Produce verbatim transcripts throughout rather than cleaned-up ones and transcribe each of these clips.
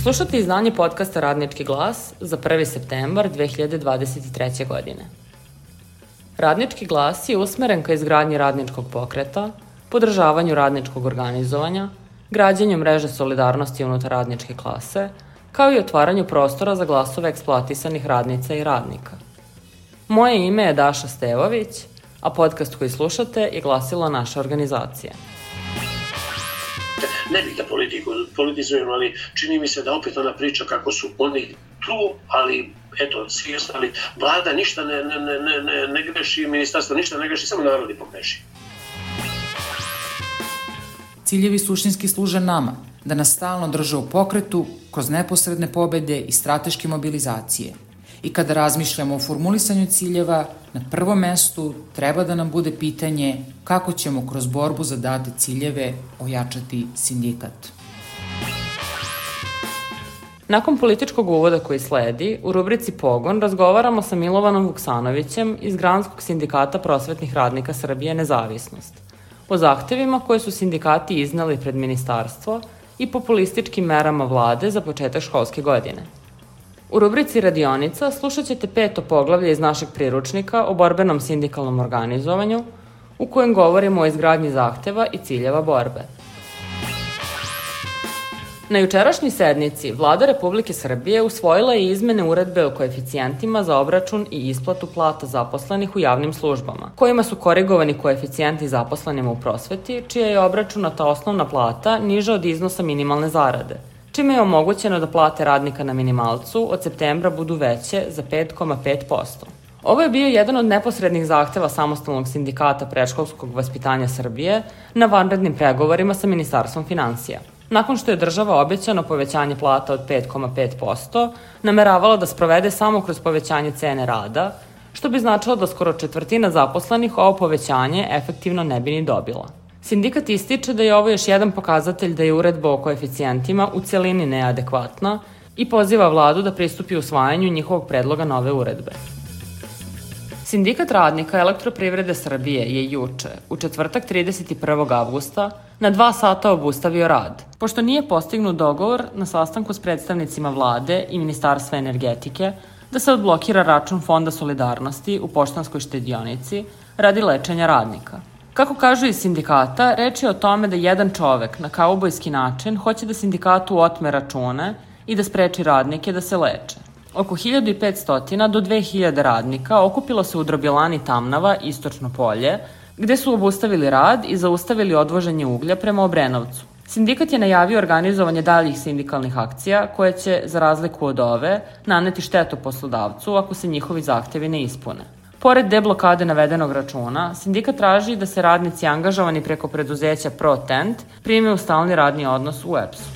Slušate izdanje podcasta Radnički glas za prvi septembar dve hiljade dvadeset treće. godine. Radnički glas je usmeren ka izgradnji radničkog pokreta, podržavanju radničkog organizovanja, građenju mreže solidarnosti unutar radničke klase, kao i otvaranju prostora za glasove eksploatisanih radnica i radnika. Moje ime je Daša Stevović, a podcast koji slušate je glasilo naše organizacije. Ne bih da politiku, politizujem, ali čini mi se da opet ona priča kako su oni tu, ali eto, svi ostali, vlada ništa ne, ne, ne, ne, ne greši, ministarstvo ništa ne greši, samo narodi pogreši. Ciljevi suštinski služe nama, da nas stalno drže u pokretu kroz neposredne pobede i strateške mobilizacije. I kada razmišljamo o formulisanju ciljeva, na prvom mestu treba da nam bude pitanje kako ćemo kroz borbu za date ciljeve ojačati sindikat. Nakon političkog uvoda koji sledi, u rubrici Pogon razgovaramo sa Milovanom Vuksanovićem iz Granskog sindikata prosvetnih radnika Srbije Nezavisnost o zahtevima koje su sindikati izneli pred ministarstvo i populističkim merama vlade za početak školske godine. U rubrici Radionica slušat ćete peto poglavlje iz našeg priručnika o borbenom sindikalnom organizovanju, u kojem govorimo o izgradnji zahteva i ciljeva borbe. Na jučerašnjoj sednici Vlada Republike Srbije usvojila je izmene uredbe o koeficijentima za obračun i isplatu plata zaposlenih u javnim službama, kojima su korigovani koeficijenti zaposlenima u prosveti, čija je obračunata osnovna plata niža od iznosa minimalne zarade, čime je omogućeno da plate radnika na minimalcu od septembra budu veće za pet zarez pet posto. Ovo je bio jedan od neposrednih zahteva Samostalnog sindikata predškolskog vaspitanja Srbije na vanrednim pregovorima sa Ministarstvom finansija. Nakon što je država obećano povećanje plata od pet zarez pet posto, nameravala da sprovede samo kroz povećanje cene rada, što bi značilo da skoro četvrtina zaposlenih ovo povećanje efektivno ne bi ni dobila. Sindikat ističe da je ovo još jedan pokazatelj da je uredba o koeficijentima u celini neadekvatna i poziva vladu da pristupi usvajanju njihovog predloga nove uredbe. Sindikat radnika Elektroprivrede Srbije je juče, u četvrtak trideset prvog avgusta, na dva sata obustavio rad, pošto nije postignut dogovor na sastanku s predstavnicima vlade i Ministarstva energetike da se odblokira račun Fonda solidarnosti u Poštanskoj štedionici radi lečenja radnika. Kako kažu iz sindikata, reč je o tome da jedan čovek na kaubojski način hoće da sindikatu otme račune i da spreči radnike da se leče. Oko hiljadu petsto do dve hiljade radnika okupilo se u drobilani Tamnava, Istočno polje, gde su obustavili rad i zaustavili odvoženje uglja prema Obrenovcu. Sindikat je najavio organizovanje daljih sindikalnih akcija koje će, za razliku od ove, naneti štetu poslodavcu ako se njihovi zahtevi ne ispune. Pored deblokade navedenog računa, sindikat traži da se radnici angažovani preko preduzeća ProTent prime u stalni radni odnos u E P S-u.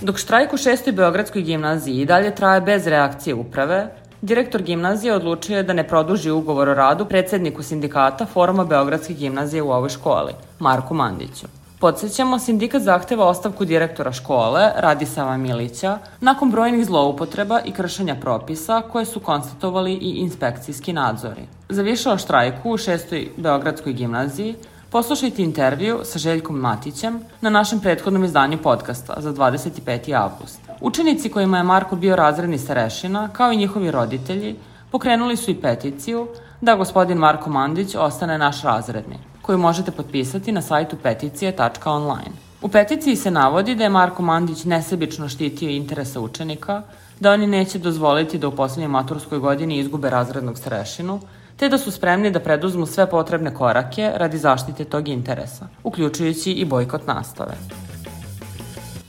Dok štrajk u šestoj Beogradskoj gimnaziji i dalje traje bez reakcije uprave, direktor gimnazije odlučio je da ne produži ugovor o radu predsedniku sindikata Foruma Beogradske gimnazije u ovoj školi, Marku Mandiću. Podsećamo, sindikat zahteva ostavku direktora škole, Radisava Milića, nakon brojnih zloupotreba i kršenja propisa koje su konstatovali i inspekcijski nadzori. Za više o štrajku u šestoj Beogradskoj gimnaziji poslušajte intervju sa Željkom Matićem na našem prethodnom izdanju podcasta za dvadeset peti avgust. Učenici kojima je Marko bio razredni starešina, kao i njihovi roditelji, pokrenuli su i peticiju da gospodin Marko Mandić ostane naš razredni, koju možete potpisati na sajtu peticije tačka online. U peticiji se navodi da je Marko Mandić nesebično štitio interese učenika, da oni neće dozvoliti da u poslednjoj maturskoj godini izgube razrednog starešinu, te da su spremni da preduzmu sve potrebne korake radi zaštite tog interesa, uključujući i bojkot nastave.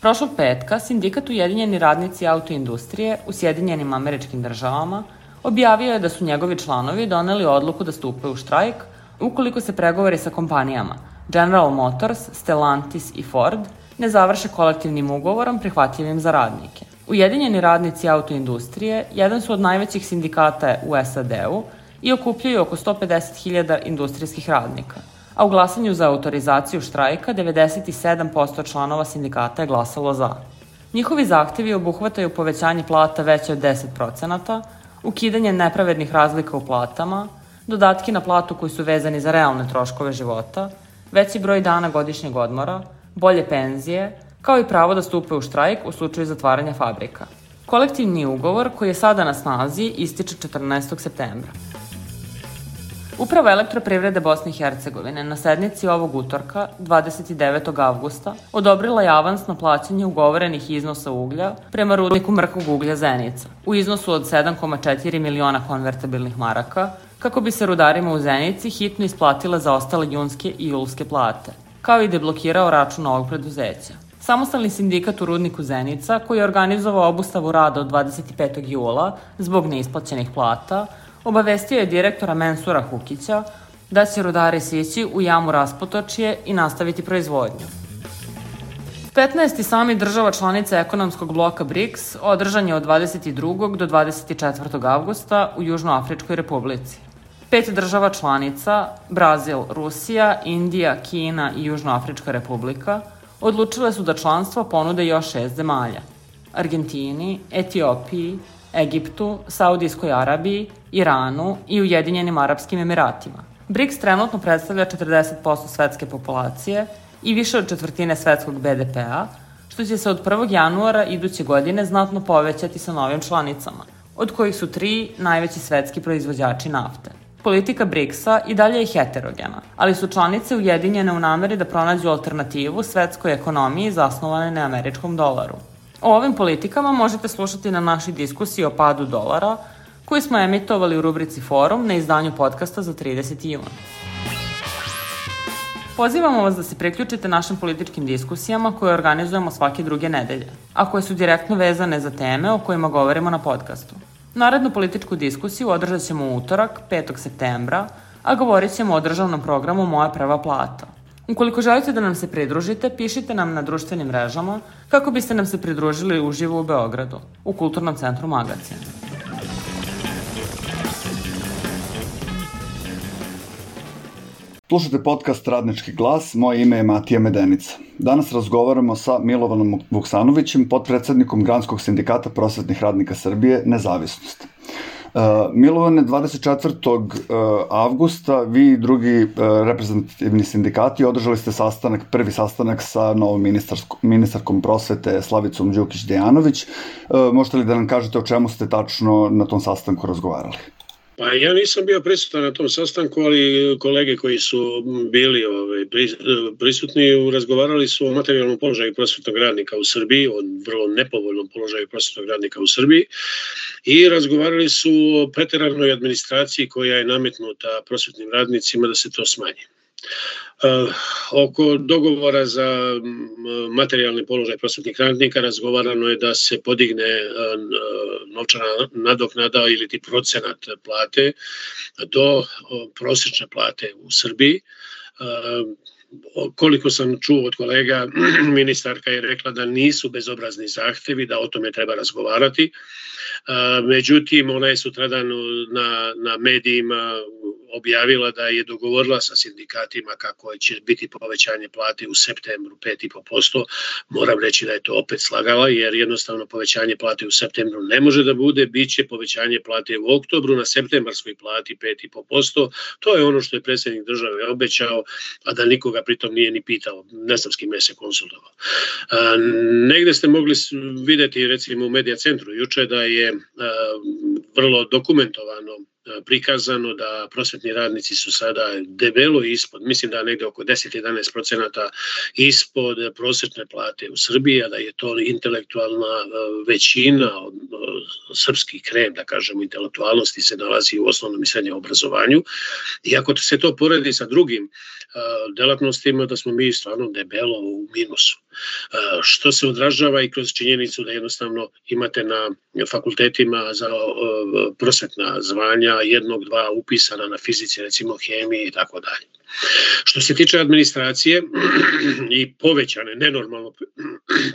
Prošlog petka sindikat Ujedinjeni radnici autoindustrije u Sjedinjenim Američkim Državama objavio je da su njegovi članovi doneli odluku da stupe u štrajk ukoliko se pregovori sa kompanijama General Motors, Stellantis i Ford ne završe kolektivnim ugovorom prihvatljivim za radnike. Ujedinjeni radnici autoindustrije jedan su od najvećih sindikata u S A D-u i okupljaju oko sto pedeset hiljada industrijskih radnika, a u glasanju za autorizaciju štrajka devedeset sedam posto članova sindikata je glasalo za. Njihovi zahtevi obuhvataju povećanje plata veće od deset procenata, ukidanje nepravednih razlika u platama, dodatki na platu koji su vezani za realne troškove života, veći broj dana godišnjeg odmora, bolje penzije, kao i pravo da stupe u štrajk u slučaju zatvaranja fabrika. Kolektivni ugovor, koji je sada na snazi, ističe četrnaestog septembra. Uprava Elektroprivrede Bosne i Hercegovine na sednici ovog utorka, dvadeset devetog avgusta, odobrila je avansno plaćanje ugovorenih iznosa uglja prema rudniku mrkog uglja Zenica u iznosu od sedam zarez četiri miliona konvertibilnih maraka, kako bi se rudarima u Zenici hitno isplatile zaostale junske i julske plate, kao i deblokirao račun ovog preduzeća. Samostalni sindikat u rudniku Zenica, koji je organizovao obustavu rada od dvadeset petog jula zbog neisplaćenih plata, obavestio je direktora Mensura Hukića da će rudari sići u jamu Raspotočje i nastaviti proizvodnju. petnaesti samit država članica ekonomskog bloka BRICS održan je od dvadeset drugog do dvadeset četvrtog avgusta u Južnoafričkoj republici. Pet država članica, Brazil, Rusija, Indija, Kina i Južnoafrička republika, odlučile su da članstvo ponude još šest zemalja: Argentini, Etiopiji, Egiptu, Saudijskoj Arabiji, Iranu i Ujedinjenim Arapskim Emiratima. BRICS trenutno predstavlja četrdeset posto svetske populacije i više od četvrtine svetskog be de pe-a, što će se od prvog januara iduće godine znatno povećati sa novim članicama, od kojih su tri najveći svetski proizvođači nafte. Politika BRICS-a i dalje je heterogena, ali su članice ujedinjene u nameri da pronađu alternativu svetskoj ekonomiji zasnovane na američkom dolaru. O ovim politikama možete slušati na našoj diskusiji o padu dolara, koju smo emitovali u rubrici Forum na izdanju podcasta za trideseti jun. Pozivamo vas da se priključite našim političkim diskusijama koje organizujemo svake druge nedelje, a koje su direktno vezane za teme o kojima govorimo na podcastu. Narednu političku diskusiju održat ćemo u utorak, petog septembra, a govorit ćemo o državnom programu Moja prva plata. Ukoliko želite da nam se pridružite, pišite nam na društvenim mrežama kako biste nam se pridružili uživo u Beogradu, u Kulturnom centru Magacin. Slušate podcast Radnički glas, moje ime je Matija Medenica. Danas razgovaramo sa Milovanom Vuksanovićem, potpredsednikom Granskog sindikata prosvetnih radnika Srbije, Nezavisnost. Uh, Milovane, dvadeset četvrtog avgusta vi i drugi uh, reprezentativni sindikati održali ste sastanak, prvi sastanak sa novom ministarkom prosvete Slavicom Đukić-Dejanović. Uh, možete li da nam kažete o čemu ste tačno na tom sastanku razgovarali? Pa ja nisam bio prisutan na tom sastanku, ali kolege koji su bili ovaj, prisutni razgovarali su o materijalnom položaju prosvetnog radnika u Srbiji, o vrlo nepovoljnom položaju prosvetnog radnika u Srbiji i razgovarali su o preteranoj administraciji koja je nametnuta prosvetnim radnicima da se to smanji. Uh, oko dogovora za materijalni položaj prosvetnih radnika razgovarano je da se podigne uh, novčana nadoknada ili ti procenat plate do uh, prosječne plate u Srbiji. Uh, koliko sam čuo od kolega, ministarka je rekla da nisu bezobrazni zahtevi, da o tome treba razgovarati. Uh, međutim, ona je sutradan na, na medijima objavila da je dogovorila sa sindikatima kako će biti povećanje plate u septembru pet i po posto. Moram reći da je to opet slagala, jer jednostavno povećanje plate u septembru ne može da bude, bit će povećanje plate u oktobru na septembarskoj plati pet i po posto. To je ono što je predsjednik države obećao, a da nikoga pritom nije ni pitao, ne znam s kime se konsultovao. A, negde ste mogli vidjeti recimo u Medija centru juče da je a, vrlo dokumentovano prikazano da prosvetni radnici su sada debelo ispod, mislim da negde oko deset do jedanaest procenata ispod prosječne plate u Srbiji, a da je to intelektualna većina, srpski krem, da kažemo, intelektualnosti se nalazi u osnovnom i srednjem obrazovanju. I ako se to poredi sa drugim delatnostima, da smo mi stvarno debelo u minusu. Što se odražava i kroz činjenicu da jednostavno imate na fakultetima za prosvetna zvanja jednog, dva upisana na fizici, recimo hemiji i tako dalje. Što se tiče administracije i povećane, nenormalno,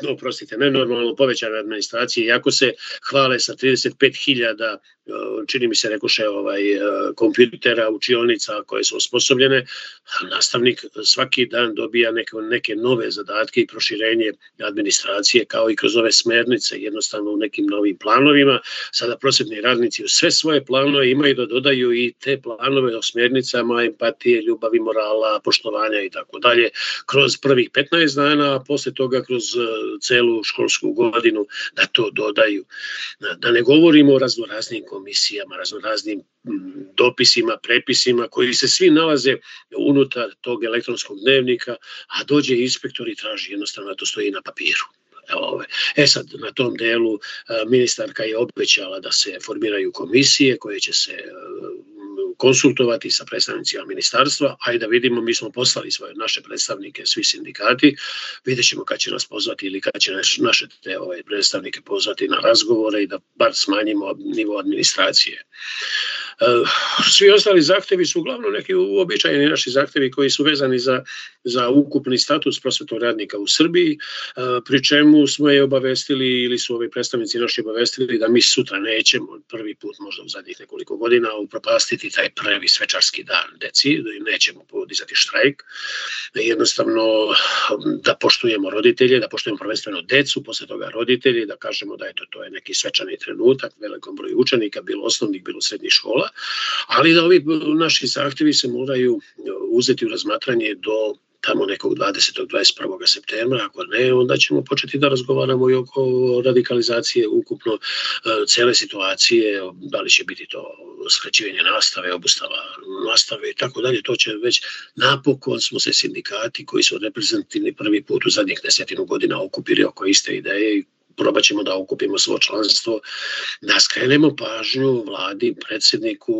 oprostite, nenormalno povećane administracije, iako se hvale sa trideset pet hiljada, čini mi se rekoše, ovaj, kompjutera, učionica koje su osposobljene, nastavnik svaki dan dobija neke, neke nove zadatke i proširuje proširenje administracije, kao i kroz ove smernice, jednostavno u nekim novim planovima. Sada prosvetni radnici u sve svoje planove imaju da dodaju i te planove o smernicama empatije, ljubavi, morala, poštovanja i tako dalje, kroz prvih petnaest dana, a posle toga kroz celu školsku godinu da to dodaju. Da ne govorimo o raznoraznim komisijama, raznoraznim dopisima, prepisima koji se svi nalaze unutar tog elektronskog dnevnika, a dođe inspektor i traži jednostavno da to stoji na papiru. E sad, na tom delu ministarka je obećala da se formiraju komisije koje će se konsultovati sa predstavnicima ministarstva, a i da vidimo, mi smo poslali svoje naše predstavnike, svi sindikati, vidjet ćemo kad će nas pozvati ili kad će naše te ove predstavnike pozvati na razgovore i da bar smanjimo nivo administracije. Svi ostali zahtevi su uglavnom neki uobičajeni naši zahtevi koji su vezani za, za ukupni status prosvetnog radnika u Srbiji, pri čemu smo je obavestili ili su ovi predstavnici naši obavestili da mi sutra nećemo, prvi put možda u zadnjih nekoliko godina, upropastiti taj prvi svečarski dan deci, nećemo podizati štrajk, jednostavno da poštujemo roditelje, da poštujemo prvenstveno decu, posle toga roditelji, da kažemo da eto, to je neki svečani trenutak, velikom broju učenika, bilo osnovnih, bilo srednjih škola, ali da ovi naši zahtevi se moraju uzeti u razmatranje do tamo nekog dvadesetog do dvadeset prvog septembra, ako ne, onda ćemo početi da razgovaramo i oko radikalizacije ukupno cele situacije, da li će biti to skraćivanje nastave, obustava nastave i tako dalje, to će već napokon smo se sindikati koji su reprezentativni prvi put u zadnjih desetinu godina okupili oko iste ideje i probat ćemo da okupimo svo članstvo, da skrenemo pažnju vladi, predsjedniku,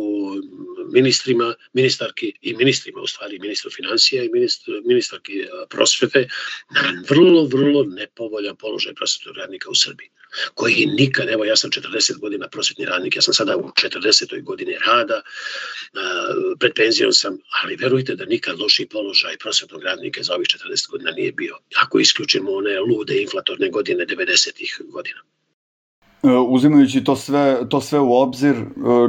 ministrima, ministarki i ministrima, u stvari ministru financija i ministr, ministarki prosvete, na vrlo, vrlo nepovoljan položaj prosvetnog radnika u Srbiji, koji nikad, evo ja sam četrdeset godina prosvetni radnik, ja sam sada u četrdesetoj godini rada, pred penzijom sam, ali verujte da nikad lošiji položaj prosvetnog radnika za ovih četrdeset godina nije bio, ako isključimo one lude inflatorne godine devedesetih godina. Uzimajući to sve, to sve u obzir,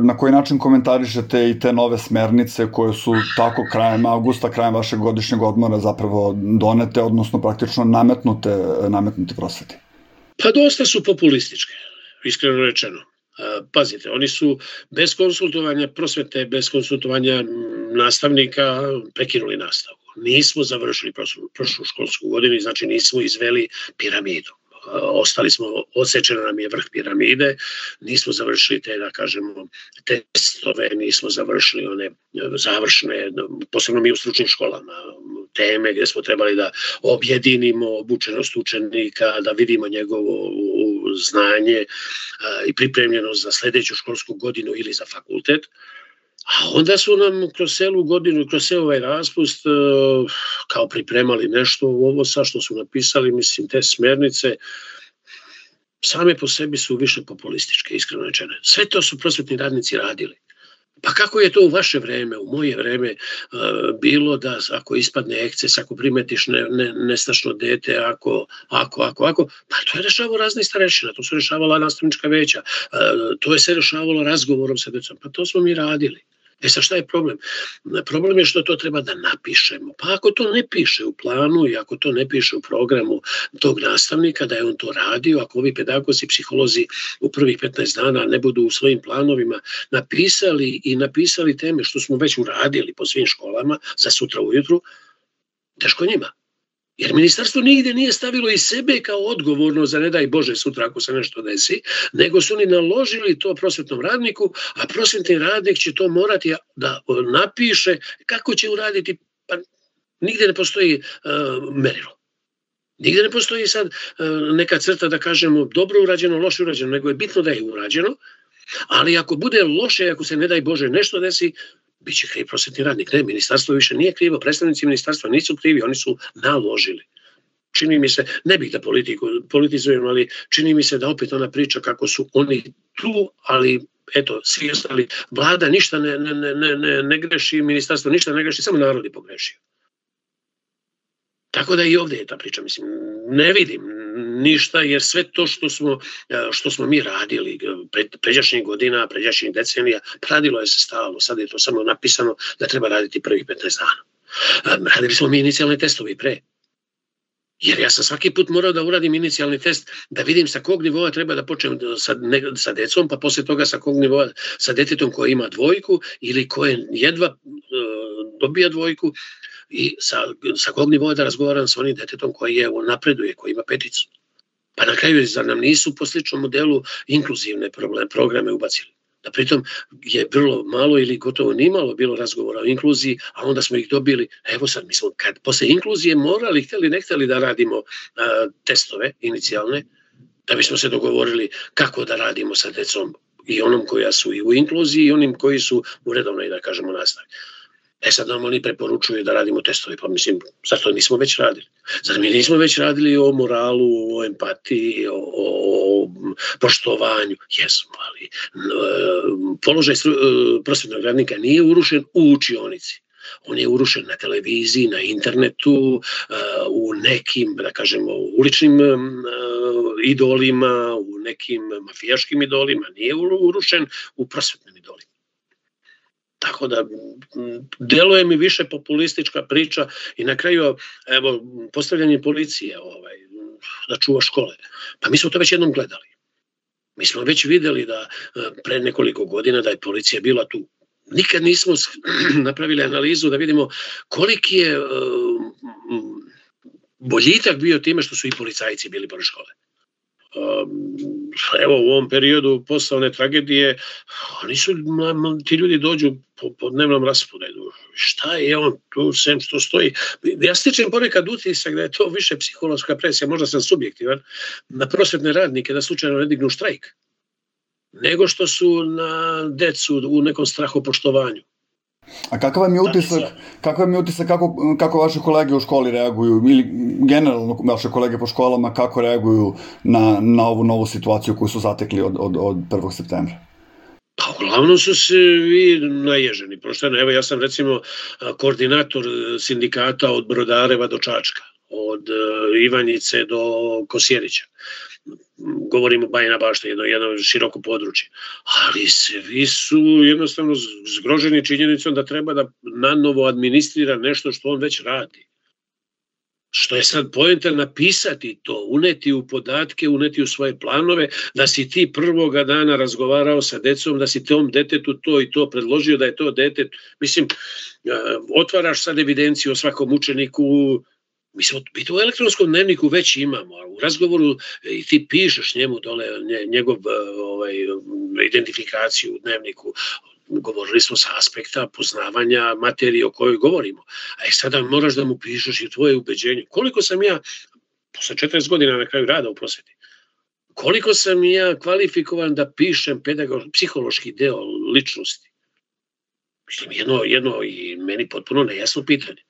na koji način komentarišete i te nove smernice koje su tako krajem avgusta, krajem vašeg godišnjeg odmora zapravo donete, odnosno praktično nametnute, nametnute prosveti? Pa dosta su populističke, iskreno rečeno. Pazite, oni su bez konsultovanja prosvete, bez konsultovanja nastavnika prekinuli nastavu. Nismo završili prošlu, prošlu školsku godinu, znači nismo izveli piramidu. Ostali smo, odsečeno nam je vrh piramide, nismo završili te, da kažemo, testove, nismo završili one završne, posebno mi u stručnim školama, teme gdje smo trebali da objedinimo obučenost učenika, da vidimo njegovo znanje i pripremljenost za sledeću školsku godinu ili za fakultet. A onda su nam kroz celu godinu, kroz ceo ovaj raspust kao pripremali nešto, ovo sa što su napisali, mislim, te smernice, same po sebi su više populističke, iskreno rečene. Sve to su prosvetni radnici radili. Pa kako je to u vaše vreme, u moje vreme bilo da ako ispadne eksces, ako primetiš ne, ne, nestašno dete, ako, ako, ako, ako, pa to je rešavalo razne starešina, to su rešavala nastavnička veća, to je se rešavalo razgovorom sa decom, pa to smo mi radili. E sad šta je problem? Problem je što to treba da napišemo. Pa ako to ne piše u planu i ako to ne piše u programu tog nastavnika da je on to radio, ako ovi pedagozi, psiholozi u prvih petnaest dana ne budu u svojim planovima napisali i napisali teme što smo već uradili po svim školama za sutra ujutru, teško njima. Jer ministarstvo nigde nije stavilo i sebe kao odgovorno za ne daj Bože sutra ako se nešto desi, nego su oni naložili to prosvetnom radniku, a prosvetni radnik će to morati da napiše kako će uraditi, pa nigde ne postoji uh, merilo. Nigde ne postoji sad uh, neka crta da kažemo dobro urađeno, loše urađeno, nego je bitno da je urađeno, ali ako bude loše, ako se ne daj Bože nešto desi, biće kriv prosvetni radnik. Ne, ministarstvo više nije krivo, predstavnici ministarstva nisu krivi, oni su naložili. Čini mi se, ne bih da politiku, politizujem, ali čini mi se da opet ona priča kako su oni tu, ali eto, svi ostali, vlada ništa ne, ne, ne, ne, ne greši, ministarstvo ništa ne greši, samo narod je pogrešio. Tako da i ovdje je ta priča, mislim, ne vidim ništa, jer sve to što smo, što smo mi radili pre, pređašnjih godina, pređašnjih decenija, radilo je se stalno, sad je to samo napisano da treba raditi prvih petnaest dana. Radili smo mi inicijalne testove i pre. Jer ja sam svaki put morao da uradim inicijalni test, da vidim sa kog nivoa treba da počnem sa, ne, sa decom, pa posle toga sa kog nivoa sa detetom koji ima dvojku ili koje jedva uh, dobija dvojku i sa, sa kog nivoa da razgovaram sa onim detetom koji je napreduje, koji ima peticu. Pa na kraju, zar nam nisu po sličnom modelu inkluzivne problem, programe ubacili? Da pritom je vrlo malo ili gotovo nimalo bilo razgovora o inkluziji, a onda smo ih dobili, evo sad mi smo kad posle inkluzije morali, hteli ne hteli da radimo a, testove inicijalne, da bismo se dogovorili kako da radimo sa decom i onom koja su i u inkluziji i onim koji su u redovnoj, da kažemo, nastavi. E sad nam oni preporučuju da radimo testove, pa mislim, zašto nismo već radili? Zar mi nismo već radili o moralu, o empatiji, o, o poštovanju? Jesmo, ali položaj prosvetnog radnika nije urušen u učionici. On je urušen na televiziji, na internetu, u nekim, da kažemo, uličnim idolima, u nekim mafijaškim idolima. Nije urušen u prosvetnim idolima. Tako da, deluje mi više populistička priča i na kraju, evo, postavljanje policije ovaj, da čuva škole. Pa mi smo to već jednom gledali. Mi smo već videli da pre nekoliko godina da je policija bila tu. Nikad nismo napravili analizu da vidimo koliki je uh, boljitak bio time što su i policajci bili pored škole. Evo u ovom periodu posle one tragedije oni su, ti ljudi dođu po, po dnevnom rasporedu, šta je on tu sem što stoji, ja stičem ponekad utisak da je to više psihološka presija, možda sam subjektivan, na prosvetne radnike da slučajno ne dignu štrajk, nego što su na decu u nekom strahopoštovanju. A kakav vam je utisak, kakav vam je utisak kako, kako vaše kolege u školi reaguju ili generalno vaše kolege po školama kako reaguju na, na ovu novu situaciju koju su zatekli od, od, od prvog septembra? Pa uglavnom su se vi naježeni. Prošteno, evo ja sam recimo koordinator sindikata od Brodareva do Čačka, od Ivanjice do Kosjerića. Govorimo Bajina Bašta, jedno, jedno široko područje. Ali svi su jednostavno zgroženi činjenicom da treba da nanovo administrira nešto što on već radi. Što je sad poenta napisati to, uneti u podatke, uneti u svoje planove, da si ti prvoga dana razgovarao sa decom, da si tom detetu to i to predložio, da je to detet. Mislim, otvaraš sad evidenciju o svakom učeniku. Mislim, mi to u elektronskom dnevniku već imamo, a u razgovoru i ti pišeš njemu dole njegov ovaj, identifikaciju u dnevniku. Govorili smo sa aspekta poznavanja materije o kojoj govorimo. A i sada moraš da mu pišeš i tvoje ubeđenje. Koliko sam ja, posle četrdeset godina na kraju rada u prosveti, koliko sam ja kvalifikovan da pišem pedagog, psihološki deo ličnosti? Mislim, jedno, jedno i meni potpuno nejasno pitanje.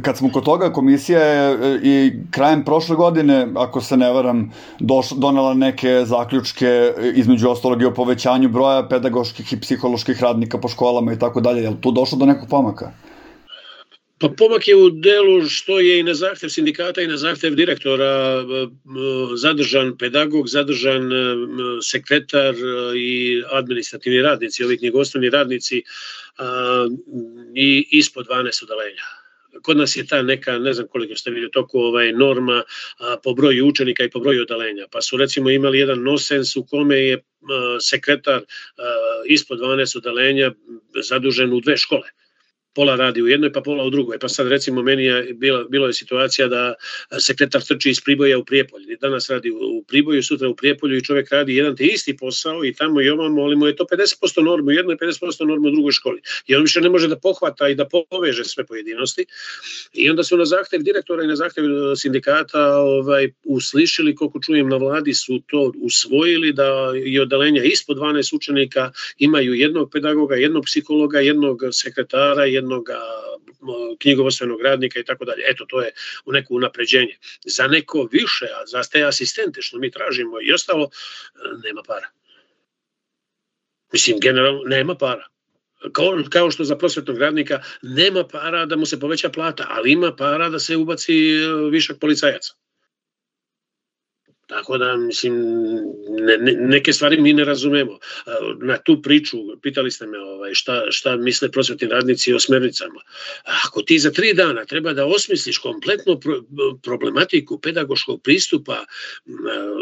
Kad smo kod toga, komisija je i krajem prošle godine, ako se ne varam, došla, donela neke zaključke, između ostalog i o povećanju broja pedagoških i psiholoških radnika po školama i tako dalje. Je li tu došlo do nekog pomaka? Pa pomak je u delu što je i na zahtev sindikata i na zahtev direktora zadržan pedagog, zadržan sekretar i administrativni radnici, ovi knjigovodstveni radnici i ispod dvanaest odeljenja. Kod nas je ta neka, ne znam koliko ste vidjeli, toko ovaj, norma a, po broju učenika i po broju odeljenja. Pa su recimo imali jedan nosens u kome je a, sekretar a, ispod dvanaest odeljenja zadužen u dve škole. Pola radi u jednoj, pa pola u drugoj. Pa sad recimo meni je bila, bilo je situacija da sekretar trči iz Priboja u Prijepolje. Danas radi u Priboju, sutra u Prijepolju i čovjek radi jedan te isti posao i tamo i ovamo, ali mu je to pedeset posto normu u jednoj, pedeset posto normu u drugoj školi. I on više ne može da pohvata i da poveže sve pojedinosti. I onda su na zahtev direktora i na zahtev sindikata ovaj, uslišili, koliko čujem na vladi, su to usvojili da i odeljenja ispod dvanaest učenika imaju jednog pedagoga, jednog psihologa, jednog sekretara, jednog knjigovodstvenog radnika i tako dalje. Eto, to je u neko unapređenje. Za neko više, a za te asistente što mi tražimo i ostalo, nema para. Mislim, generalno, nema para. Kao, kao što za prosvetnog radnika nema para da mu se poveća plata, ali ima para da se ubaci višak policajaca. Tako da, mislim, ne, ne, neke stvari mi ne razumemo. Na tu priču, pitali ste me ovaj, šta, šta misle prosvetni radnici o smernicama. Ako ti za tri dana treba da osmisliš kompletno pro, problematiku pedagoškog pristupa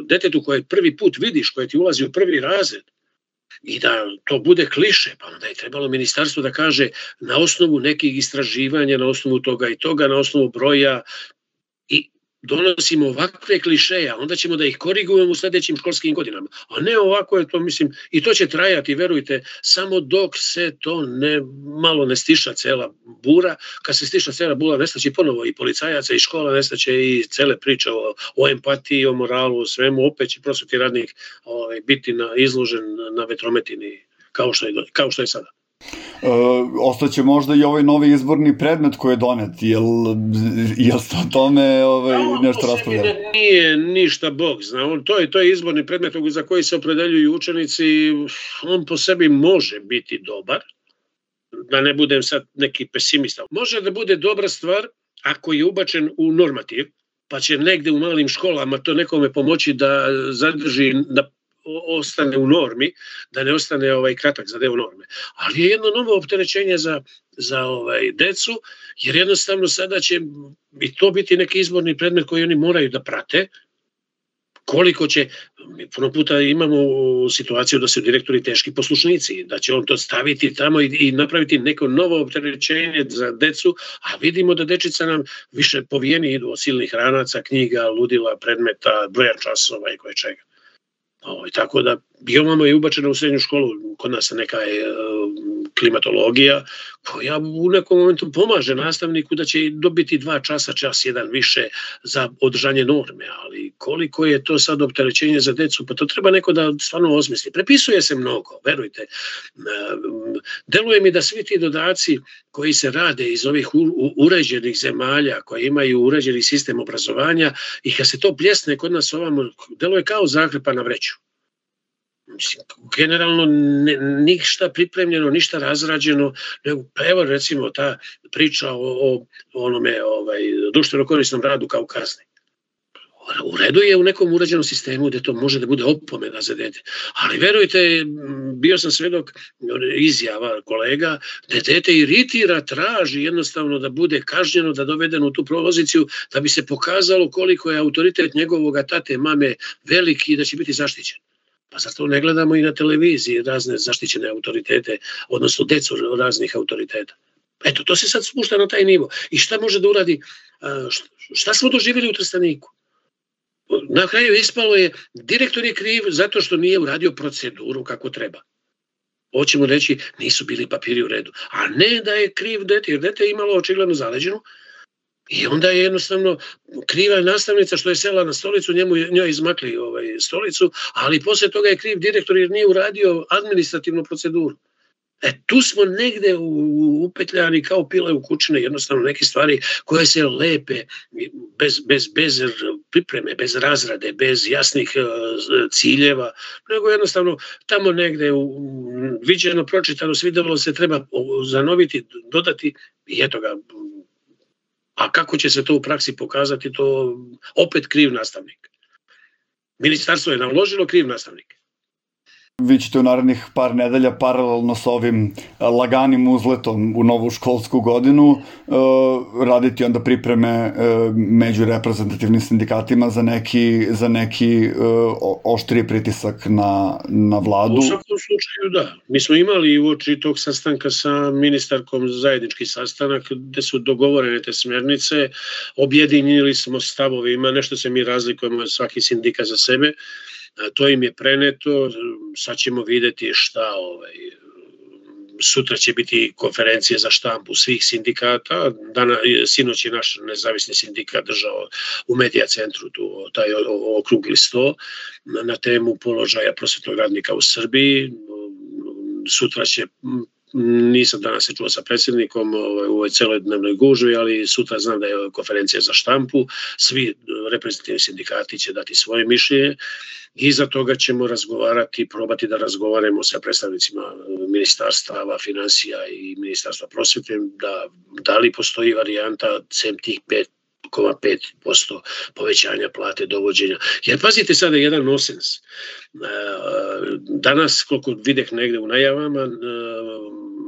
detetu koje prvi put vidiš, koje ti ulazi u prvi razred, i da to bude kliše, pa onda je trebalo ministarstvo da kaže na osnovu nekih istraživanja, na osnovu toga i toga, na osnovu broja, i donosimo ovakve klišeja, onda ćemo da ih korigujemo u sledećim školskim godinama. A ne ovako je to, mislim, i to će trajati, verujte, samo dok se to ne, malo ne stiša cela bura. Kad se stiša cela bura, nestaće ponovo i policajaca i škola, nestaće i cele priče o, o empatiji, o moralu, o svemu, opet će prosvetni radnik ovaj, biti na, izložen na vetrometini kao što je, kao što je sada. E, ostaće možda i ovaj novi izborni predmet koji je donet, jel, jel ste o tome ovaj, nešto raspravljali? Nije ništa Bog zna, to je, to je izborni predmet za koji se opredeljuju učenici, on po sebi može biti dobar, da ne budem sad neki pesimista. Može da bude dobra stvar ako je ubačen u normativ, pa će negde u malim školama to nekome pomoći da zadrži, da ostane u normi, da ne ostane ovaj kratak za deo norme. Ali je jedno novo opterećenje za, za ovaj decu, jer jednostavno sada će i to biti neki izborni predmet koji oni moraju da prate. Koliko će, puno puta imamo situaciju da su direktori teški poslušnici, da će on to staviti tamo i, i napraviti neko novo opterećenje za decu, a vidimo da dečica nam više povijeni idu od silnih ranaca, knjiga, ludila, predmeta, broja časova i koje čega. O, tako da biomama je ubačena u srednju školu, kod nas neka je e, klimatologija koja u nekom momentu pomaže nastavniku da će dobiti dva časa, čas jedan više za održanje norme, ali koliko je to sad opterećenje za decu, pa to treba neko da stvarno osmisli. Prepisuje se mnogo, verujte. E, deluje mi da svi ti dodaci koji se rade iz ovih u, u, uređenih zemalja, koje imaju uređeni sistem obrazovanja, i kad se to pljesne kod nas ovamo, deluje kao zakrpa na vreću. Generalno ne, ništa pripremljeno, ništa razrađeno, nego evo recimo ta priča o, o onome ovaj, društveno korisnom radu kao kazni. U redu je u nekom uređenom sistemu gde to može da bude opomena za dete, ali verujte, bio sam svedok izjava kolega da dete iritira, traži jednostavno da bude kažnjeno, da dovedeno u tu poziciju, da bi se pokazalo koliko je autoritet njegovog tate, mame veliki i da će biti zaštićen. Pa zato ne gledamo i na televiziji razne zaštićene autoritete, odnosno decu raznih autoriteta. Eto, to se sad spušta na taj nivo. I šta može da uradi? Šta smo doživjeli u Trsteniku? Na kraju ispalo je, direktor je kriv zato što nije uradio proceduru kako treba. Hoćemo reći, nisu bili papiri u redu. A ne da je kriv dete, jer dete je imalo očigledno zaleđenu. I onda je jednostavno kriva nastavnica što je sela na stolicu, njemu, njoj izmakli ovaj, stolicu, ali posle toga je kriv direktor jer nije uradio administrativnu proceduru. E, tu smo negde upetljani kao pile u kućine, jednostavno neke stvari koje se lepe bez, bez, bez pripreme, bez razrade, bez jasnih uh, ciljeva, nego jednostavno tamo negde u, viđeno, pročitano, svidelo se, treba zanoviti, dodati i eto ga. A kako će se to u praksi pokazati, to opet kriv nastavnik. Ministarstvo je naložilo, kriv nastavnik. Vi ćete u narednih par nedelja paralelno s ovim laganim uzletom u novu školsku godinu raditi onda pripreme među reprezentativnim sindikatima za neki, za neki oštriji pritisak na, na vladu. U svakom slučaju da. Mi smo imali uoči tog sastanka sa ministarkom zajednički sastanak gde su dogovorene te smernice, objedinili smo stavovima, nešto se mi razlikujemo svaki sindikat za sebe. To im je preneto, sad ćemo videti šta, ovaj, sutra će biti konferencije za štampu svih sindikata, Dana, sinoć je naš nezavisni sindikat držao u Medija centru tu, taj okrugli sto na temu položaja prosvetnog radnika u Srbiji. Sutra će, nisam danas se čuo sa predsjednikom ovaj, u ovoj celodnevnoj gužvi, ali sutra znam da je konferencija za štampu, svi reprezentativni sindikati će dati svoje mišljenje. Iza toga ćemo razgovarati, probati da razgovaramo sa predstavnicima ministarstava finansija i ministarstva prosvete, da, da li postoji varijanta sem tih pet zarez pet posto povećanja plate dovođenja. Jer pazite sada jedan nonsens. Danas, koliko videh negde u najavama,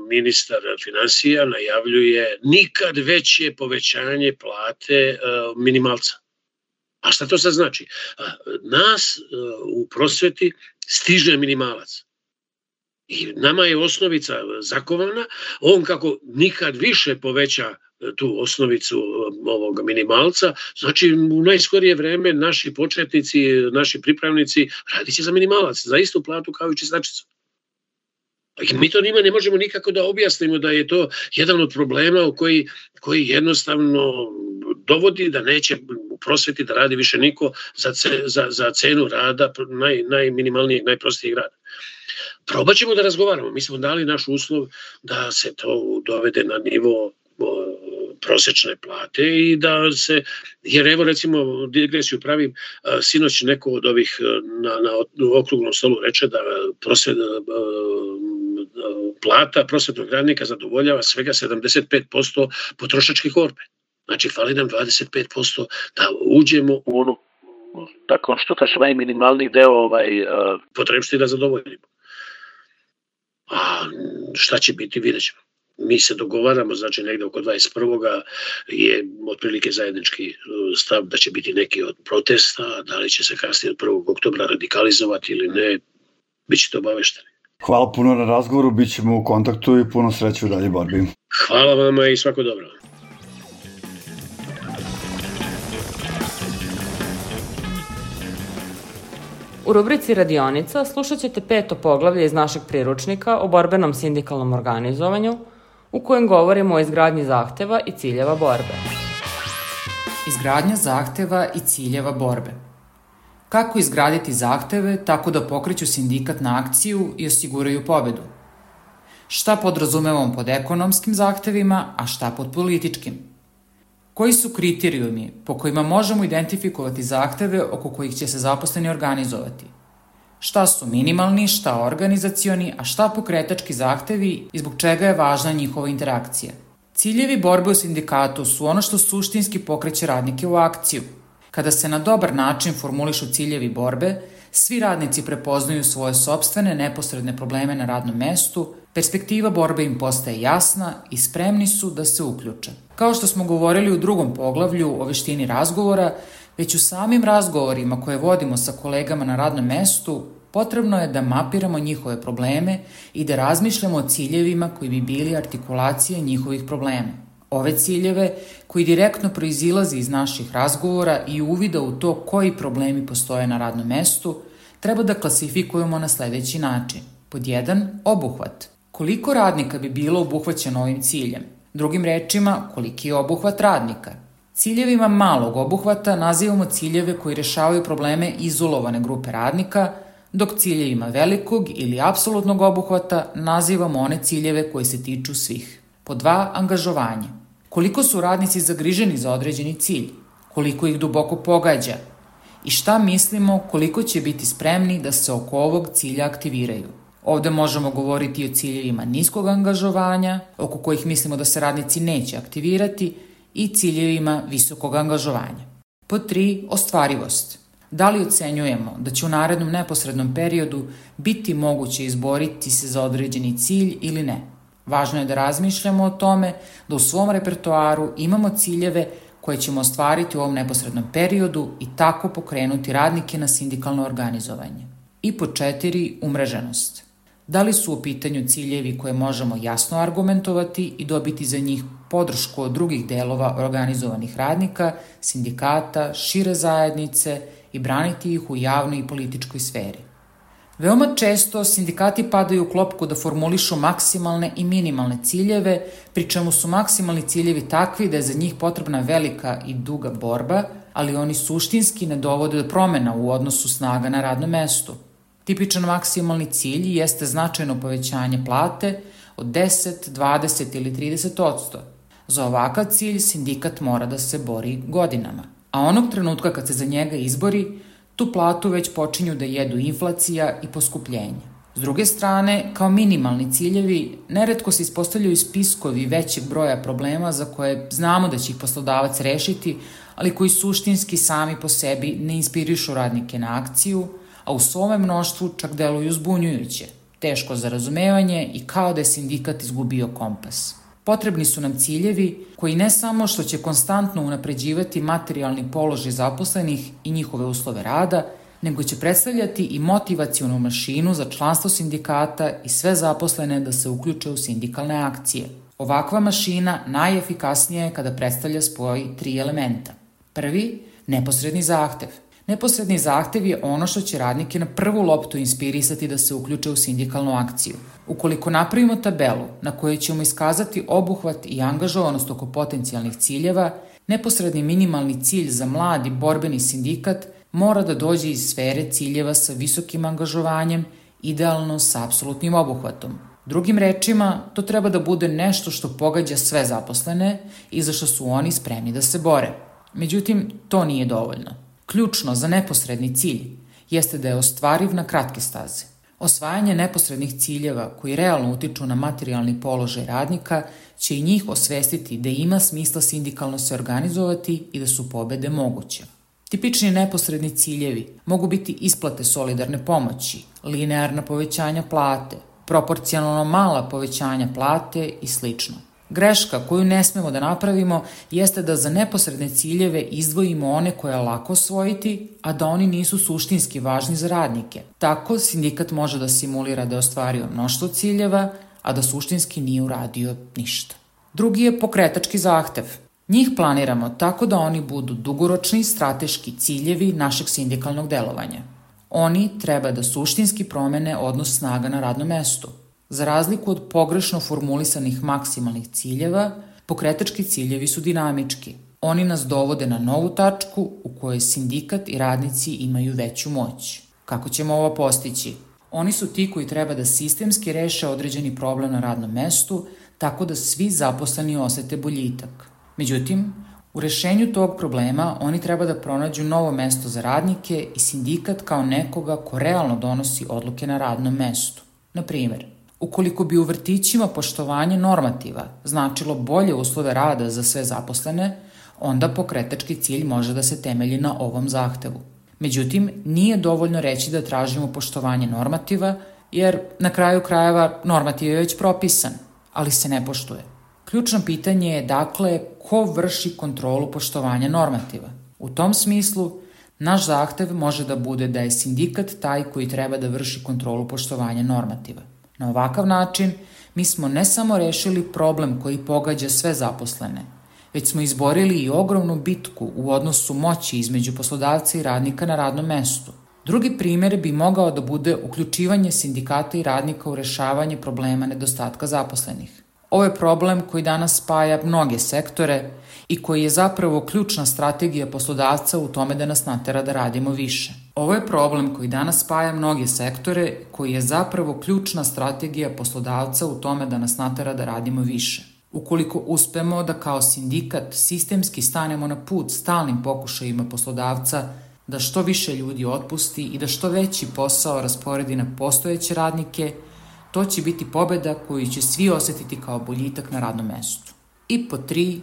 ministar finansija najavljuje nikad veće povećanje plate minimalca. A šta to sad znači? Nas u prosveti stiže minimalac. I nama je osnovica zakovana, on kako nikad više poveća tu osnovicu ovog minimalca, znači u najskorije vreme naši početnici, naši pripravnici radit će za minimalac, za istu platu kao i čistačicu. I mi to njima ne možemo nikako da objasnimo da je to jedan od problema u koji, koji jednostavno dovodi da neće u prosveti da radi više niko za, ce, za, za cenu rada naj, najminimalnijeg, najprostijeg rada. Probat ćemo da razgovaramo. Mi smo dali naš uslov da se to dovede na nivo prosečne plate i da se, jer evo recimo digresiju pravim, sinoć neko od ovih na, na okruglom stolu reče da prosvet, plata prosvetnog radnika zadovoljava svega sedamdeset pet posto potrošačke korpe. Znači fali nam dvadeset pet posto da uđemo u onu tako što kaže najminimalniji deo ovaj, uh... potrebšti da zadovoljimo. A šta će biti, vidjet ćemo. Mi se dogovaramo, znači negde oko dvadeset prvoga je otprilike zajednički stav da će biti neki od protesta, da li će se kasnije od prvog oktobra radikalizovati ili ne, bit ćete obavešteni. Hvala puno na razgovoru, bit ćemo u kontaktu i puno sreće u dalje borbi. Hvala vama i svako dobro. U rubrici Radionica slušat ćete peto poglavlje iz našeg priručnika o borbenom sindikalnom organizovanju, u kojem govorimo o izgradnji zahteva i ciljeva borbe. Izgradnja zahteva i ciljeva borbe. Kako izgraditi zahteve tako da pokreću sindikat na akciju i osiguraju pobedu? Šta podrazumevamo pod ekonomskim zahtevima, a šta pod političkim? Koji su kriterijumi po kojima možemo identifikovati zahteve oko kojih će se zaposleni organizovati? Šta su minimalni, šta organizacioni, a šta pokretački zahtevi i zbog čega je važna njihova interakcija? Ciljevi borbe u sindikatu su ono što suštinski pokreće radnike u akciju. Kada se na dobar način formulišu ciljevi borbe, svi radnici prepoznaju svoje sopstvene neposredne probleme na radnom mestu, perspektiva borbe im postaje jasna i spremni su da se uključe. Kao što smo govorili u drugom poglavlju o veštini razgovora, već u samim razgovorima koje vodimo sa kolegama na radnom mestu, potrebno je da mapiramo njihove probleme i da razmišljamo o ciljevima koji bi bili artikulacije njihovih problema. Ove ciljeve, koji direktno proizilaze iz naših razgovora i uvida u to koji problemi postoje na radnom mestu, treba da klasifikujemo na sledeći način. Pod jedan, obuhvat. Koliko radnika bi bilo obuhvaćeno ovim ciljem? Drugim rečima, koliki je obuhvat radnika? Ciljevima malog obuhvata nazivamo ciljeve koji rešavaju probleme izolovane grupe radnika, dok ciljevima velikog ili apsolutnog obuhvata nazivamo one ciljeve koji se tiču svih. Pod dva, angažovanje. Koliko su radnici zagriženi za određeni cilj? Koliko ih duboko pogađa? I šta mislimo koliko će biti spremni da se oko ovog cilja aktiviraju? Ovde možemo govoriti o ciljevima niskog angažovanja, oko kojih mislimo da se radnici neće aktivirati, i ciljevima visokog angažovanja. Pod tri, ostvarivost. Da li ocenjujemo da će u narednom neposrednom periodu biti moguće izboriti se za određeni cilj ili ne? Važno je da razmišljamo o tome da u svom repertoaru imamo ciljeve koje ćemo ostvariti u ovom neposrednom periodu i tako pokrenuti radnike na sindikalno organizovanje. I pod četiri, umreženost. Da li su u pitanju ciljevi koje možemo jasno argumentovati i dobiti za njih podršku od drugih delova organizovanih radnika, sindikata, šire zajednice i braniti ih u javnoj i političkoj sferi. Veoma često sindikati padaju u klopku da formulišu maksimalne i minimalne ciljeve, pri čemu su maksimalni ciljevi takvi da je za njih potrebna velika i duga borba, ali oni suštinski ne dovode do promena u odnosu snaga na radnom mestu. Tipičan maksimalni cilj jeste značajno povećanje plate od deset, dvadeset ili trideset odsto. Za ovakav cilj sindikat mora da se bori godinama, a onog trenutka kad se za njega izbori, tu platu već počinju da jedu inflacija i poskupljenje. S druge strane, kao minimalni ciljevi, neretko se ispostavljaju spiskovi većeg broja problema za koje znamo da će ih poslodavac rešiti, ali koji suštinski sami po sebi ne inspirišu radnike na akciju, a u svome mnoštvu čak deluju zbunjujuće, teško za razumevanje i kao da je sindikat izgubio kompas. Potrebni su nam ciljevi koji ne samo što će konstantno unapređivati materijalni položaj zaposlenih i njihove uslove rada, nego će predstavljati i motivacionu mašinu za članstvo sindikata i sve zaposlene da se uključe u sindikalne akcije. Ovakva mašina najefikasnija je kada predstavlja spoj tri elementa. Prvi, neposredni zahtev. Neposredni zahtev je ono što će radnike na prvu loptu inspirisati da se uključe u sindikalnu akciju. Ukoliko napravimo tabelu na kojoj ćemo iskazati obuhvat i angažovanost oko potencijalnih ciljeva, neposredni minimalni cilj za mladi borbeni sindikat mora da dođe iz sfere ciljeva sa visokim angažovanjem, idealno sa apsolutnim obuhvatom. Drugim rečima, to treba da bude nešto što pogađa sve zaposlene i za što su oni spremni da se bore. Međutim, to nije dovoljno. Ključno za neposredni cilj jeste da je ostvariv na kratke staze. Osvajanje neposrednih ciljeva koji realno utiču na materijalni položaj radnika će i njih osvestiti da ima smisla sindikalno se organizovati i da su pobede moguće. Tipični neposredni ciljevi mogu biti isplate solidarne pomoći, linearna povećanja plate, proporcionalno mala povećanja plate i slično. Greška koju ne smemo da napravimo jeste da za neposredne ciljeve izdvojimo one koje je lako osvojiti, a da oni nisu suštinski važni za radnike. Tako sindikat može da simulira da je ostvario mnoštvo ciljeva, a da suštinski nije uradio ništa. Drugi je pokretački zahtev. Njih planiramo tako da oni budu dugoročni strateški ciljevi našeg sindikalnog delovanja. Oni treba da suštinski promene odnos snaga na radnom mestu. Za razliku od pogrešno formulisanih maksimalnih ciljeva, pokretački ciljevi su dinamički. Oni nas dovode na novu tačku u kojoj sindikat i radnici imaju veću moć. Kako ćemo ovo postići? Oni su ti koji treba da sistemski reše određeni problem na radnom mestu, tako da svi zaposleni osete boljitak. Međutim, u rešenju tog problema oni treba da pronađu novo mesto za radnike i sindikat kao nekoga ko realno donosi odluke na radnom mestu. Na primer, ukoliko bi u vrtićima poštovanje normativa značilo bolje uslove rada za sve zaposlene, onda pokretački cilj može da se temelji na ovom zahtevu. Međutim, nije dovoljno reći da tražimo poštovanje normativa, jer na kraju krajeva normativ je već propisan, ali se ne poštuje. Ključno pitanje je, dakle, ko vrši kontrolu poštovanja normativa. U tom smislu, naš zahtev može da bude da je sindikat taj koji treba da vrši kontrolu poštovanja normativa. Na ovakav način, mi smo ne samo rešili problem koji pogađa sve zaposlene, već smo izborili i ogromnu bitku u odnosu moći između poslodavca i radnika na radnom mestu. Drugi primer bi mogao da bude uključivanje sindikata i radnika u rešavanje problema nedostatka zaposlenih. Ovo je problem koji danas spaja mnoge sektore i koji je zapravo ključna strategija poslodavca u tome da nas natera da radimo više. Ovo je problem koji danas spaja mnoge sektore, koji je zapravo ključna strategija poslodavca u tome da nas natera da radimo više. Ukoliko uspemo da kao sindikat sistemski stanemo na put stalnim pokušajima poslodavca da što više ljudi otpusti i da što veći posao rasporedi na postojeće radnike, to će biti pobeda koju će svi osetiti kao boljitak na radnom mestu. I po tri,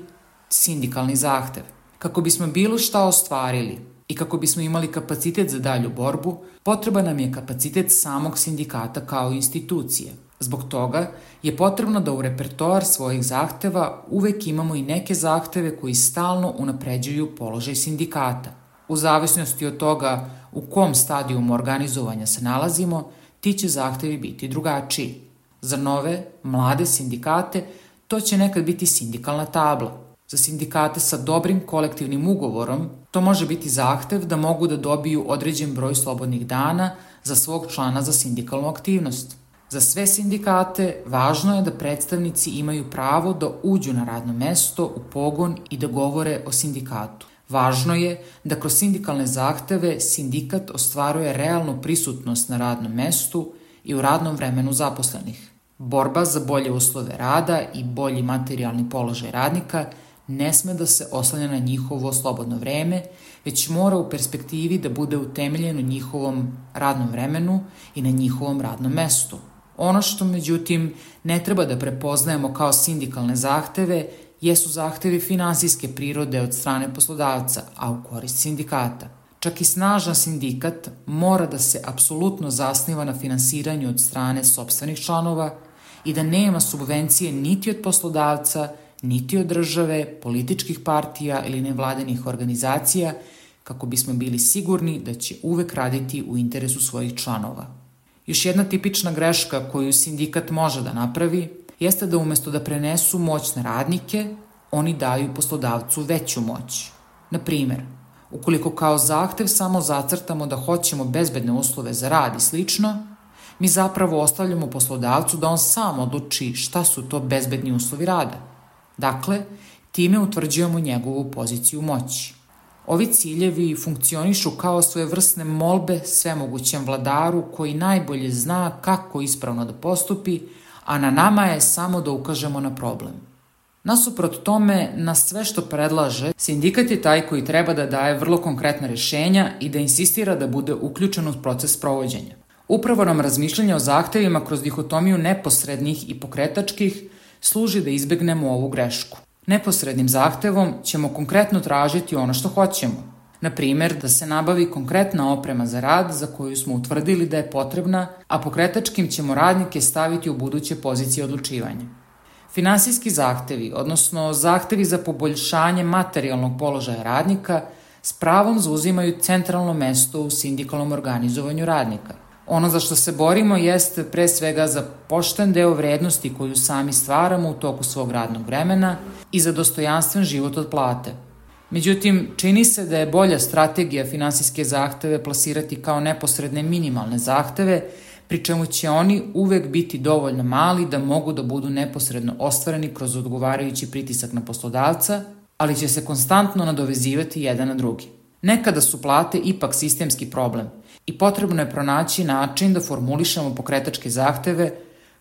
sindikalni zahtev. Kako bismo bilo šta ostvarili i kako bismo imali kapacitet za dalju borbu, potreba nam je kapacitet samog sindikata kao institucije. Zbog toga je potrebno da u repertoar svojih zahteva uvek imamo i neke zahteve koji stalno unapređuju položaj sindikata. U zavisnosti od toga u kom stadijumu organizovanja se nalazimo, ti će zahtevi biti drugačiji. Za nove, mlade sindikate, to će nekad biti sindikalna tabla. Za sindikate sa dobrim kolektivnim ugovorom, to može biti zahtev da mogu da dobiju određen broj slobodnih dana za svog člana za sindikalnu aktivnost. Za sve sindikate važno je da predstavnici imaju pravo da uđu na radno mesto, u pogon i da govore o sindikatu. Važno je da kroz sindikalne zahteve sindikat ostvaruje realnu prisutnost na radnom mestu i u radnom vremenu zaposlenih. Borba za bolje uslove rada i bolji materijalni položaj radnika ne sme da se oslanja na njihovo slobodno vreme, već mora u perspektivi da bude utemeljen u njihovom radnom vremenu i na njihovom radnom mestu. Ono što, međutim, ne treba da prepoznajemo kao sindikalne zahteve jesu zahtevi finansijske prirode od strane poslodavca, a u korist sindikata. Čak i snažan sindikat mora da se apsolutno zasniva na finansiranju od strane sopstvenih članova i da nema subvencije niti od poslodavca, niti od države, političkih partija ili nevladinih organizacija, kako bismo bili sigurni da će uvek raditi u interesu svojih članova. Još jedna tipična greška koju sindikat može da napravi jeste da umesto da prenesu moć na radnike, oni daju poslodavcu veću moć. Na primer, ukoliko kao zahtev samo zacrtamo da hoćemo bezbedne uslove za rad i slično, mi zapravo ostavljamo poslodavcu da on sam odluči šta su to bezbedni uslovi rada. Dakle, time utvrđujemo njegovu poziciju moći. Ovi ciljevi funkcionišu kao svojevrsne molbe svemogućem vladaru koji najbolje zna kako ispravno da postupi, a na nama je samo da ukažemo na problem. Nasuprot tome, na sve što predlaže, sindikat je taj koji treba da daje vrlo konkretna rešenja i da insistira da bude uključen u proces sprovođenja. Upravo nam razmišljanje o zahtevima kroz dihotomiju neposrednih i pokretačkih služi da izbegnemo ovu grešku. Neposrednim zahtevom ćemo konkretno tražiti ono što hoćemo. Na primer, da se nabavi konkretna oprema za rad za koju smo utvrdili da je potrebna, a pokretačkim ćemo radnike staviti u buduće pozicije odlučivanja. Finansijski zahtevi, odnosno zahtevi za poboljšanje materijalnog položaja radnika, s pravom zauzimaju centralno mesto u sindikalnom organizovanju radnika. Ono za što se borimo jeste pre svega za pošten deo vrednosti koju sami stvaramo u toku svog radnog vremena i za dostojanstven život od plate. Međutim, čini se da je bolja strategija finansijske zahteve plasirati kao neposredne minimalne zahteve, pri čemu će oni uvek biti dovoljno mali da mogu da budu neposredno ostvareni kroz odgovarajući pritisak na poslodavca, ali će se konstantno nadovezivati jedan na drugi. Nekada su plate ipak sistemski problem i potrebno je pronaći način da formulišemo pokretačke zahteve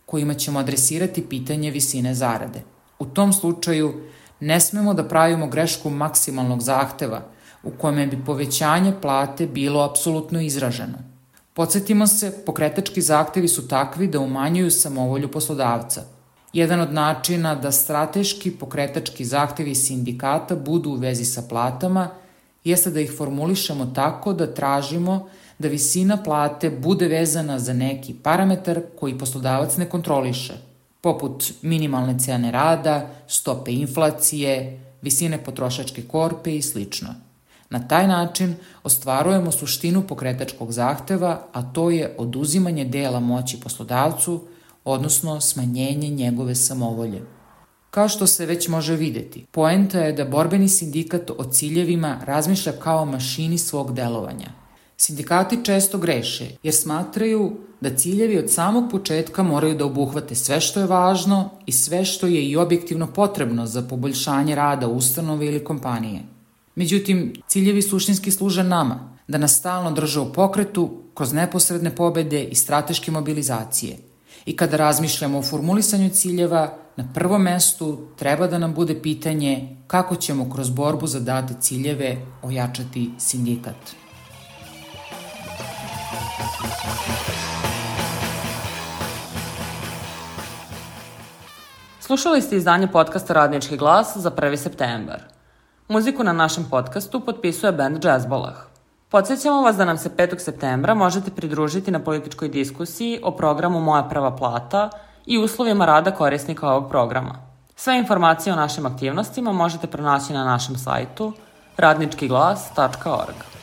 kojima ćemo adresirati pitanje visine zarade. U tom slučaju ne smemo da pravimo grešku maksimalnog zahteva u kome bi povećanje plate bilo apsolutno izraženo. Podsjetimo se, pokretački zahtevi su takvi da umanjuju samovolju poslodavca. Jedan od načina da strateški pokretački zahtevi sindikata budu u vezi sa platama jeste da ih formulišemo tako da tražimo da visina plate bude vezana za neki parametar koji poslodavac ne kontroliše, poput minimalne cene rada, stope inflacije, visine potrošačke korpe i slično. Na taj način ostvarujemo suštinu pokretačkog zahteva, a to je oduzimanje dela moći poslodavcu, odnosno smanjenje njegove samovolje. Kao što se već može videti, poenta je da borbeni sindikat o ciljevima razmišlja kao mašini svog delovanja. Sindikati često greše jer smatraju da ciljevi od samog početka moraju da obuhvate sve što je važno i sve što je i objektivno potrebno za poboljšanje rada ustanove ili kompanije. Međutim, ciljevi suštinski služe nama, da nas stalno drže u pokretu kroz neposredne pobede i strateške mobilizacije. I kada razmišljamo o formulisanju ciljeva, na prvom mestu treba da nam bude pitanje kako ćemo kroz borbu za date ciljeve ojačati sindikat. Slušali ste izdanje podcasta Radnički glas za prvi septembar. Muziku na našem podcastu potpisuje band Jazzbolah. Podsjećamo vas da nam se petog septembra možete pridružiti na političkoj diskusiji o programu Moja prva plata i uslovima rada korisnika ovog programa. Sve informacije o našim aktivnostima možete pronaći na našem sajtu radnički glas tačka org.